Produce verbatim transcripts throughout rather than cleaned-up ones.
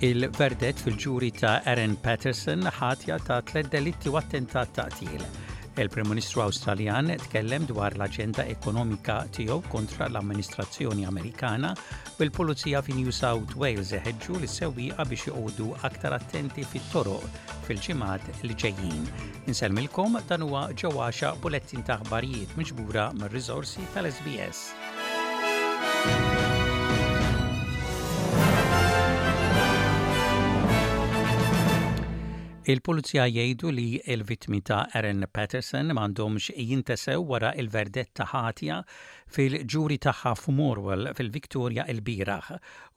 Il-verdett fil-ġuri ta' Aaron Patterson ħatja ta' tliet delitti u attentat ta' qtil. Il-Prim Ministru Awstraljan tkellem dwar l-aġenda ekonomika tiegħu kontra l-amministrazzjoni Amerikana u l-Pulizija fi New South Wales iħeġġu lis-sewwieqa biex joqogħdu aktar attenti fit-toroq fil-ġimgħat li ġejjin. Insellmilkom dan huwa Joe Axiaq b'bulettin ta' aħbarijiet miġbura mir-riżorsi tal-SBS. Il-pulizija jgħidu li l-vittmi ta' Aaron Patterson m'għandhomx jintesew wara il-verdett ta' ħatja fil-ġuri tagħha f'Morwell fil-Victoria il-bieraħ.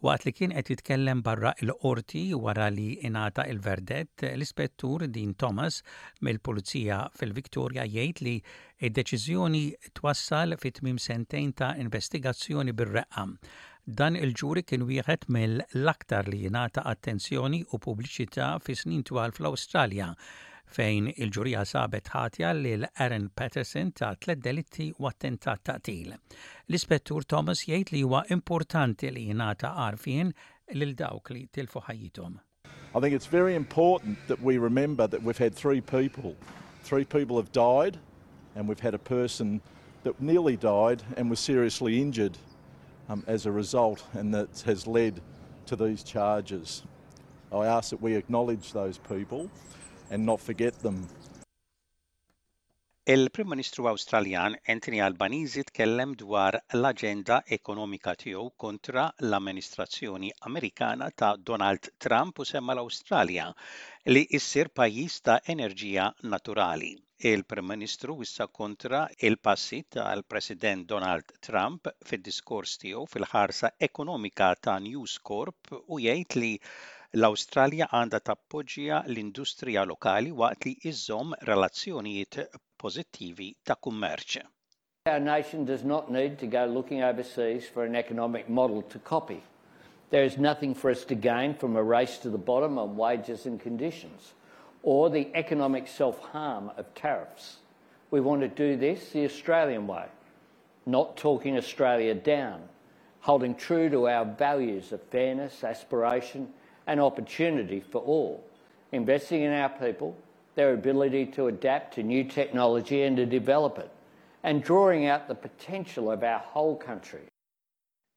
Waqt li kien qed jitkellem barra l-qorti wara li ingħata il-verdett, l-ispettur Dean Thomas mill-Pulizija fil-Victoria jgħid li id-deċiżjoni twassal fi tmiem sentejn ta' investigazzjoni bir-reqqa. Dan il-ġuri kien wieħed mill-aktar li jingħata attenzjoni u pubbliċità fi snin twal fl-Awstralja fejn il-ġurija sabet ħatja lil Aaron Patterson ta' tliet delitti u attentat ta' qtil. L-ispettur Thomas jgħid li huwa importanti li jingħata għarfien lil dawk li tilfu ħajjithom. I think it's very important that we remember that we've had three people. Three people have died and we've had a person that nearly died and was seriously injured um, as a result and that has led to these charges. I ask that we acknowledge those people and not forget them. Il-Prim Ministru Awstraljan Anthony Albanese tkellem dwar l-aġenda ekonomika tiegħu kontra l-amministrazzjoni Amerikana ta' Donald Trump u semma l-Awstralja li issir pajjiż ta' enerġija naturali. Il-Prim Ministru wissa kontra il-passi tal-President Donald Trump fid-diskors tiegħu fil-ħarsa ekonomika ta' News Corp u jgħid li l-Awstralja għandha tappoġġja l-industrija lokali waqt li iżżomm relazzjonijiet pożittivi ta' kummerċ. Our nation does not need to go looking overseas for an economic model to copy. There is nothing for us to gain from a race to the bottom on wages and conditions, or the economic self-harm of tariffs. We want to do this the Australian way, not talking Australia down, holding true to our values of fairness, aspiration and opportunity for all, investing in our people, their ability to adapt to new technology and to develop it, and drawing out the potential of our whole country.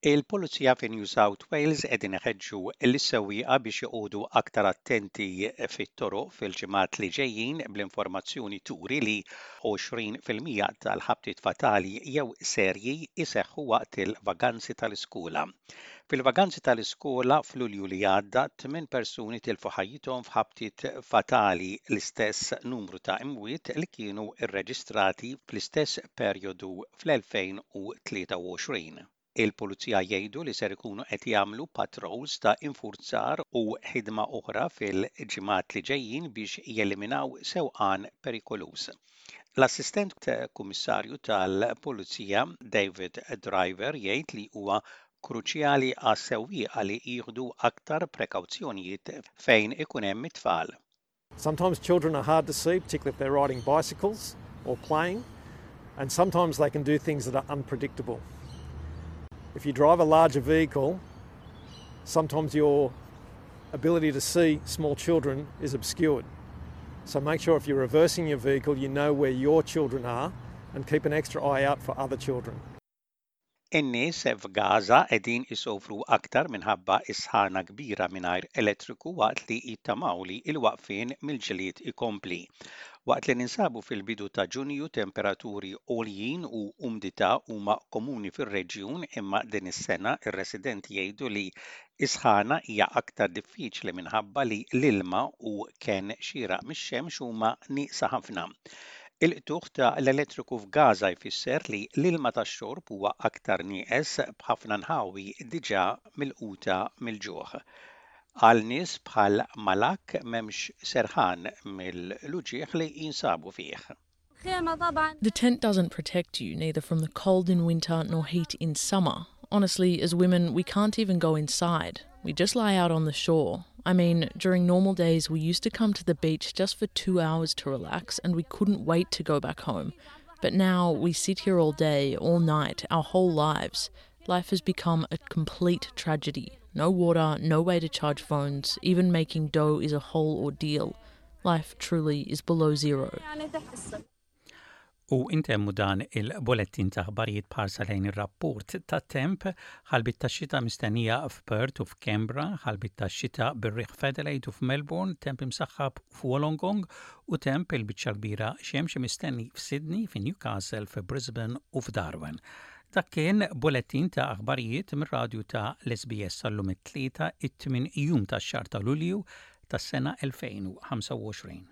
Il-Pulizija fi New South Wales qegħdin iħeġġu lis-sewwieqa biex joqogħdu aktar attenti fit-toroq fil-ġimgħat li ġejjin bl-informazzjoni turi li għoxrin fil-mija tal-ħabtiet fatali jew serji jseħħu waqt il-vaganzi tal-iskola. Fil-vaganzi tal-iskola f'Lulju li għadda, tmien persuni tilfu ħajjithom f'ħabtiet fatali l-istess numru ta' imwiet li kienu rreġistrati fl-istess perjodu fl-elfejn u tlieta u għoxrin. Il-pulizija jgħidu li ser ikunu qed jagħmlu patrols ta' infurzar u ħidma oħra fil-ġimgħat li ġejjin biex jeliminaw sewqan perikoluż. L-assistent kummissarju tal-Pulizija David Driver jgħid li huwa kruċjali għas-sewwieqa li jieħdu aktar prekawzjonijiet fejn ikun hemm it-tfal. Sometimes children are hard to see, particularly if they're riding bicycles or playing, and sometimes they can do things that are unpredictable. If you drive a larger vehicle, sometimes your ability to see small children is obscured. So make sure if you're reversing your vehicle, you know where your children are and keep an extra eye out for other children. In-nies f'Gaza qegħdin isofru aktar minħabba is-sħana kbira mingħajr elettriku waqt li jittamaw li l-waqfien mill-ġlied ikompli. Waqt li ninsabu fil-bidu ta' Ġunju, temperaturi għoljin u umdità huma komuni fir-reġjun, imma din is-sena ir-residenti jgħidu li is-sħana hija aktar diffiċli minħabba li l-ilma u kenn xieraq mix-xemx huma nieqsa ħafna. Il-qtugħ ta' l-elettriku f'Gaza jfisser li l-ilma tax-xorb huwa aktar nieqes b'ħafna nħawi diġà milquta mill-ġuħ. Għal nies bħal Malak m'hemmx serħan mill-uġigħ li jinsabu fih. The tent doesn't protect you, neither from the cold in winter nor heat in summer. Honestly, as women, we can't even go inside. We just lie out on the shore. I mean, during normal days, we used to come to the beach just for two hours to relax, and we couldn't wait to go back home. But now we sit here all day, all night, our whole lives. Life has become a complete tragedy. No water, no way to charge phones, even making dough is a whole ordeal. Life truly is below zero. U intemmu dan il-bullettin ta' aħbarijiet b'ħarsa lejn ir-rapport ta' temp: ħalbiet ta' xita mistennija f'Perth u f'Canberra, ħalbiet ta' xita bir-riħ f'Adelaide u f'Melbourne, temp imsaħħab f'Wollongong u temp il-biċċa kbira xemx mistenni f'Sydney, f'Newcastle, f'Brisbane u f'Darwin. Dak kien bullettin ta' aħbarijiet mir-radju ta' l-S B S għal-lum it-Tlieta, it-tmien jum tax-xahar ta' Lulju tas-sena elfejn u ħamsa u għoxrin.